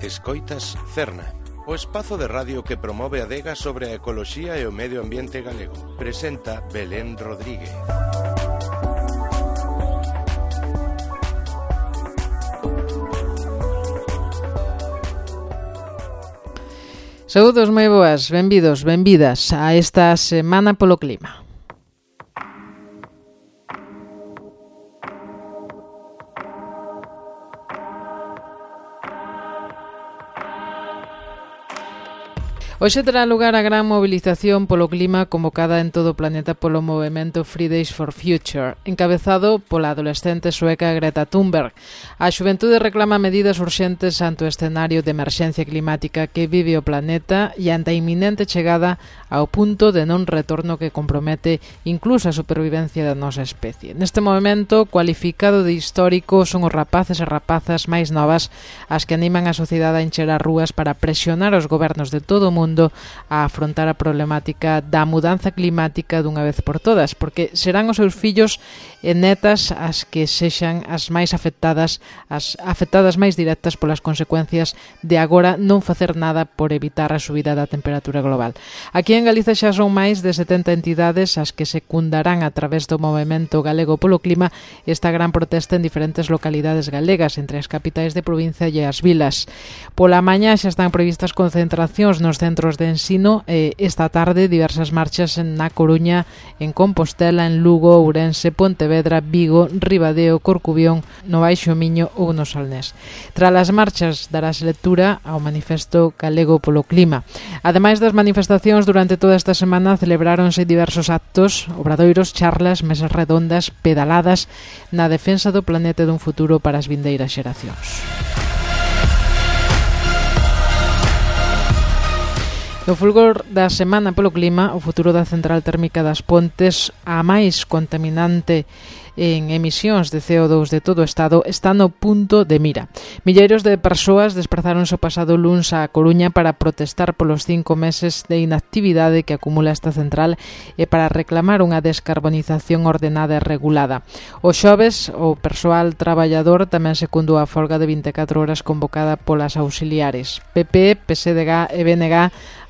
Escoitas Cerna, o espazo de radio que promove a adega sobre a ecoloxía e o medio ambiente galego. Presenta Belén Rodríguez. Saúdos moi boas, benvidos, benvidas a esta Semana polo Clima. Hoxe terá lugar a gran mobilización polo clima convocada en todo o planeta polo movemento Fridays for Future, encabezado pola adolescente sueca Greta Thunberg. A xuventude reclama medidas urxentes ante o escenario de emerxencia climática que vive o planeta e ante a inminente chegada ao punto de non retorno que compromete incluso a supervivencia da nosa especie. Neste movemento, cualificado de histórico, son os rapaces e rapazas máis novas as que animan a sociedade a encher as rúas para presionar os gobernos de todo o mundo a afrontar a problemática da mudanza climática dunha vez por todas, porque serán os seus fillos e netas as que sexan as máis afectadas, as afectadas máis directas polas consecuencias de agora non facer nada por evitar a subida da temperatura global. Aquí en Galiza xa son máis de 70 entidades as que secundarán a través do movemento galego polo clima esta gran protesta en diferentes localidades galegas, entre as capitais de provincia e as vilas. Pola mañá xa están previstas concentracións nos centros de ensino e esta tarde diversas marchas na Coruña, en Compostela, en Lugo, Ourense, Pontevedra, Vigo, Ribadeo, Corcubión, no Baixo Miño ou no Salnés. Tras as marchas darase lectura ao manifesto galego polo clima. Ademais das manifestacións, durante toda esta semana celebráronse diversos actos, obradoiros, charlas, mesas redondas, pedaladas na defensa do planeta e dun futuro para as vindeiras xeracións. No fulgor da Semana polo Clima, o futuro da central térmica das Pontes, a máis contaminante en emisións de CO2 de todo o Estado, está no punto de mira. Milleiros de persoas desprazáronse o pasado luns á Coruña para protestar polos 5 meses de inactividade que acumula esta central e para reclamar unha descarbonización ordenada e regulada. O xoves, o persoal traballador tamén secundou a folga de 24 horas convocada polas auxiliares. PP, PSDG e BNG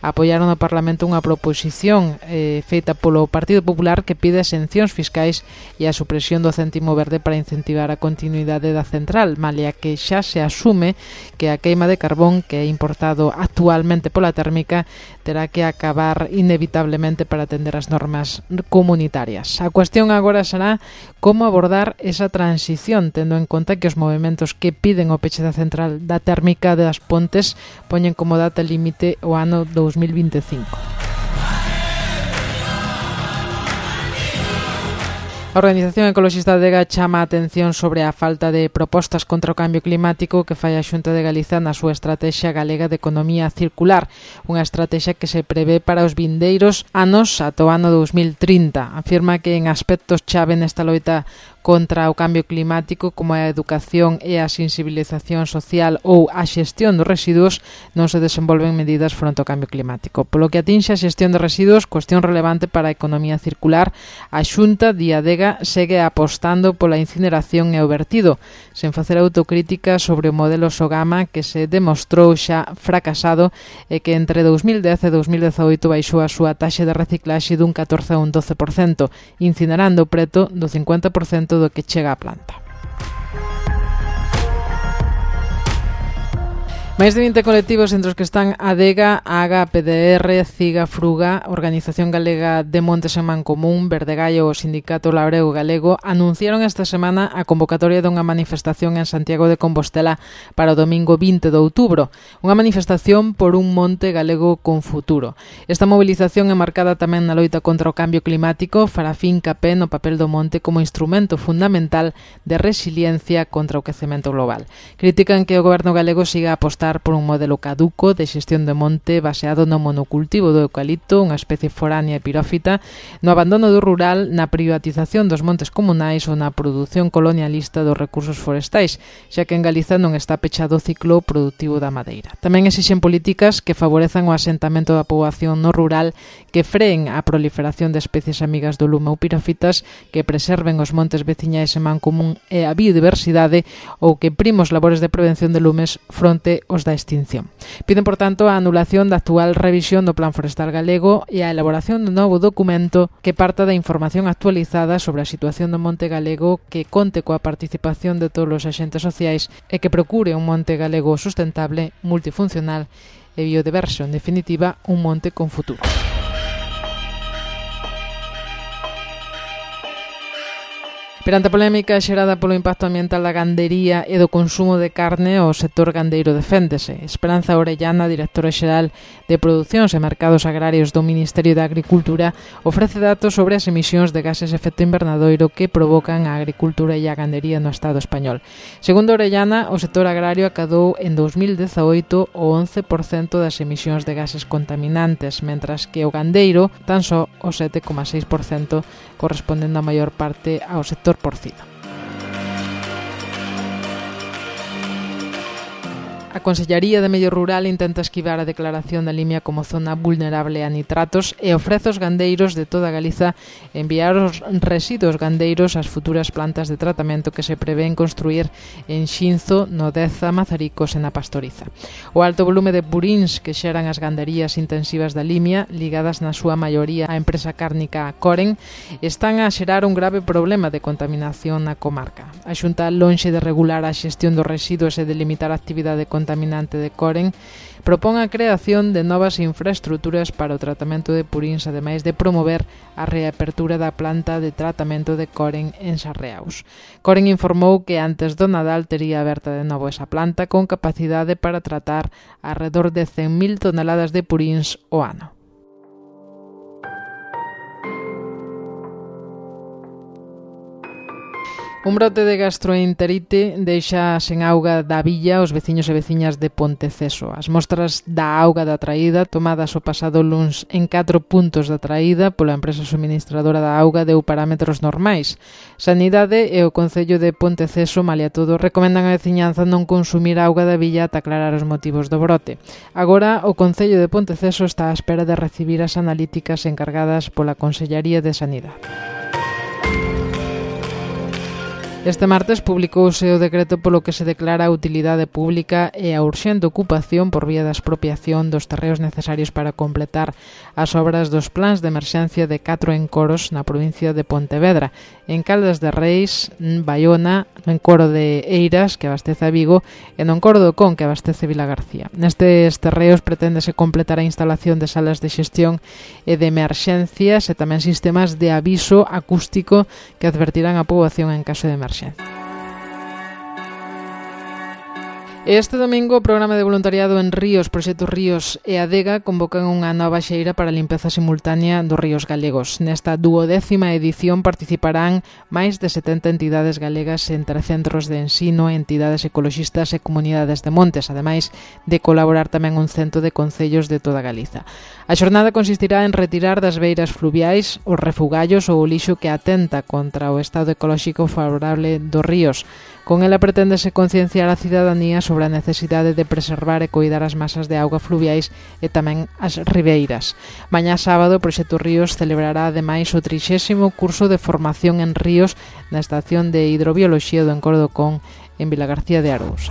apoiaron no Parlamento unha proposición feita polo Partido Popular que pide exencións fiscais e a supresión do céntimo verde para incentivar a continuidade da central, malia que xa se asume que a queima de carbón que é importado actualmente pola térmica terá que acabar inevitablemente para atender as normas comunitarias. A cuestión agora será como abordar esa transición, tendo en conta que os movementos que piden o peche da central da térmica das Pontes poñen como data límite o ano 2025. A Organización Ecoloxista de Adega chama a atención sobre a falta de propostas contra o cambio climático que fai a Xunta de Galiza na súa Estrategia Galega de Economía Circular, unha estrategia que se prevé para os vindeiros anos ata o ano 2030. Afirma que en aspectos chave nesta loita contra o cambio climático, como a educación e a sensibilización social ou a xestión dos residuos, non se desenvolven medidas fronte ao cambio climático. Polo que atinxe a xestión de residuos, cuestión relevante para a economía circular, a Xunta de Adega segue apostando pola incineración e o vertido, sen facer autocrítica sobre o modelo Sogama que se demostrou xa fracasado e que entre 2010 e 2018 baixou a súa taxa de reciclaxe dun 14 a un 12%, incinerando preto do 50% do que chega á planta. Máis de 20 colectivos entre os que están Adega, AGA, PDR, CIGA, Fruga, Organización Galega de Montes en Mancomún, Verdegallo e o Sindicato Labrego Galego anunciaron esta semana a convocatoria dunha manifestación en Santiago de Compostela para o domingo 20 de outubro, unha manifestación por un monte galego con futuro. Esta movilización é marcada tamén na loita contra o cambio climático, fará fincapé no papel do monte como instrumento fundamental de resiliencia contra o quecemento global. Critican que o goberno galego siga apostando por un modelo caduco de xestión de monte baseado no monocultivo do eucalipto, unha especie foránea e pirófita, no abandono do rural, na privatización dos montes comunais ou na produción colonialista dos recursos forestais, xa que en Galiza non está pechado o ciclo productivo da madeira. Tamén exixen políticas que favorezan o asentamento da poboación no rural, que freen a proliferación de especies amigas do lume ou pirófitas, que preserven os montes veciñais en Mancomún e a biodiversidade ou que primen os labores de prevención de lumes fronte os da extinción. Piden, por tanto, a anulación da actual revisión do Plan Forestal galego e a elaboración dun novo documento que parta da información actualizada sobre a situación do monte galego, que conte coa participación de todos os axentes sociais e que procure un monte galego sustentable, multifuncional e biodiverso, en definitiva, un monte con futuro. Perante a polémica xerada polo impacto ambiental da gandería e do consumo de carne, o sector gandeiro deféndese. Esperanza Orellana, directora xeral de Producións e Mercados Agrarios do Ministerio de Agricultura, ofrece datos sobre as emisións de gases de efecto invernadoiro que provocan a agricultura e a gandería no Estado español. Segundo Orellana, o sector agrario acadou en 2018 o 11% das emisións de gases contaminantes, mentras que o gandeiro tan só o 7,6%, correspondendo a maior parte ao sector porcino. A Consellaría de Medio Rural intenta esquivar a declaración da Limia como zona vulnerable a nitratos e ofrece aos gandeiros de toda Galiza enviar os residuos gandeiros ás futuras plantas de tratamento que se prevén construir en Xinzo, no Deza, Mazaricos e na Pastoriza. O alto volume de purins que xeran as ganderías intensivas da Limia, ligadas na súa maioría á empresa cárnica Coren, están a xerar un grave problema de contaminación na comarca. A Xunta, lonxe de regular a xestión dos residuos e de limitar a actividade contaminante de Coren, propón a creación de novas infraestruturas para o tratamento de purins, ademais de promover a reapertura da planta de tratamento de Coren en Sarreaus. Coren informou que antes do Nadal tería aberta de novo esa planta con capacidade para tratar alrededor de 100.000 toneladas de purins ao ano. Un brote de gastroenterite deixa sen auga da villa os veciños e veciñas de Ponteceso. As mostras da auga da traída, tomadas o pasado luns en 4 puntos da traída pola empresa suministradora da auga, deu parámetros normais. Sanidade e o Concello de Ponteceso, malia todo, recomendan a veciñanza non consumir auga da villa ata aclarar os motivos do brote. Agora, o Concello de Ponteceso está á espera de recibir as analíticas encargadas pola Consellaría de Sanidade. Este martes publicouse o decreto polo que se declara a utilidade pública e a urxente ocupación por vía da expropiación dos terreos necesarios para completar as obras dos plans de emerxencia de 4 encoros na provincia de Pontevedra, en Caldas de Reis, Baiona, no encoro de Eiras, que abastece a Vigo, e no encoro do Con, que abastece Vilagarcía. Nestes terreos preténdese completar a instalación de salas de xestión e de emerxencias e tamén sistemas de aviso acústico que advertirán a poboación en caso de emerxencia. Este domingo o programa de voluntariado en Ríos, Proxecto Ríos e Adega convocan unha nova xeira para a limpeza simultánea dos ríos galegos. Nesta 12ª edición participarán máis de 70 entidades galegas entre centros de ensino, entidades ecoloxistas e comunidades de montes, ademais de colaborar tamén un cento de concellos de toda Galiza. A xornada consistirá en retirar das beiras fluviais os refugallos ou o lixo que atenta contra o estado ecolóxico favorable dos ríos. Con ela preténdese concienciar a cidadanía sobre a necesidade de preservar e coidar as masas de auga fluviais e tamén as ribeiras. Mañá sábado, o Proxecto Ríos celebrará ademais o 30º curso de formación en ríos na Estación de Hidrobioloxía do Encoro do Con en Vilagarcía de Arousa.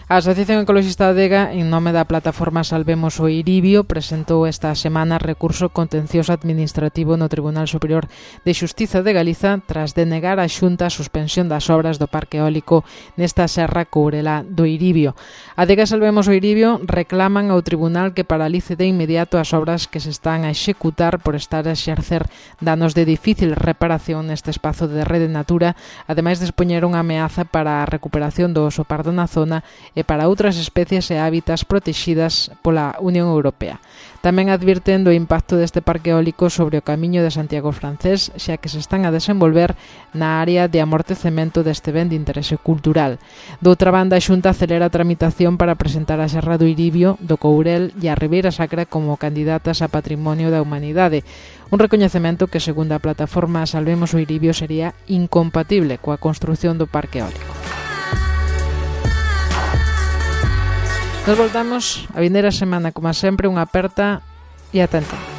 A Asociación Ecoloxista Adega, en nome da plataforma Salvemos o Iribio, presentou esta semana recurso contencioso administrativo no Tribunal Superior de Xustiza de Galiza tras denegar a Xunta a suspensión das obras do parque eólico nesta serra courelá do Iribio. Adega Salvemos o Iribio reclaman ao tribunal que paralice de inmediato as obras que se están a executar por estar a exercer danos de difícil reparación neste espazo de rede natura, ademais de expoñer unha ameaza para a recuperación do oso pardo na zona e para outras especies e hábitats protegidas pola Unión Europea. Tamén advirten do impacto deste parque eólico sobre o camiño de Santiago francés, xa que se están a desenvolver na área de amortecemento deste ben de interese cultural. Doutra banda, a Xunta acelera a tramitación para presentar a Serra do Iribio, do Courel e a Ribeira Sacra como candidatas a Patrimonio da Humanidade. Un recoñecemento que, segundo a plataforma Salvemos o Iribio, sería incompatible coa construción do parque eólico. Nos voltamos a vindeira semana, como sempre, unha aperta e atenta.